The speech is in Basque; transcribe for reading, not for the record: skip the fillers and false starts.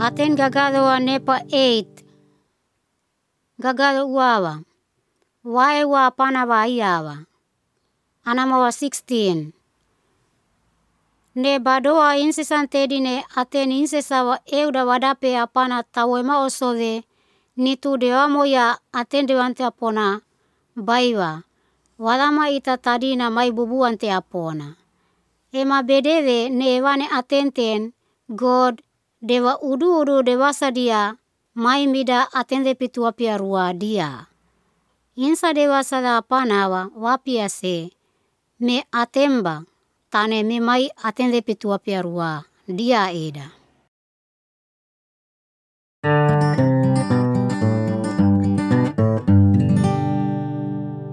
Aten gagado wa nepa 8. Gagado uawa. Wae wa apana wa iawa. Anama wa 16. Ne badoa insesan tedine aten insesa wa euda wadape apana tawema osove nitu dewa moya aten dewante apona baiwa. Walama ita tadina mai bubuante apona. Ema bedewe ne ewane atenten God dewa udu dewasa dia mai mida atende pitu wapia rua dia. Insa dewasa da apanawa wapia se me atemba tane me mai atende pitu wapia rua dia eda.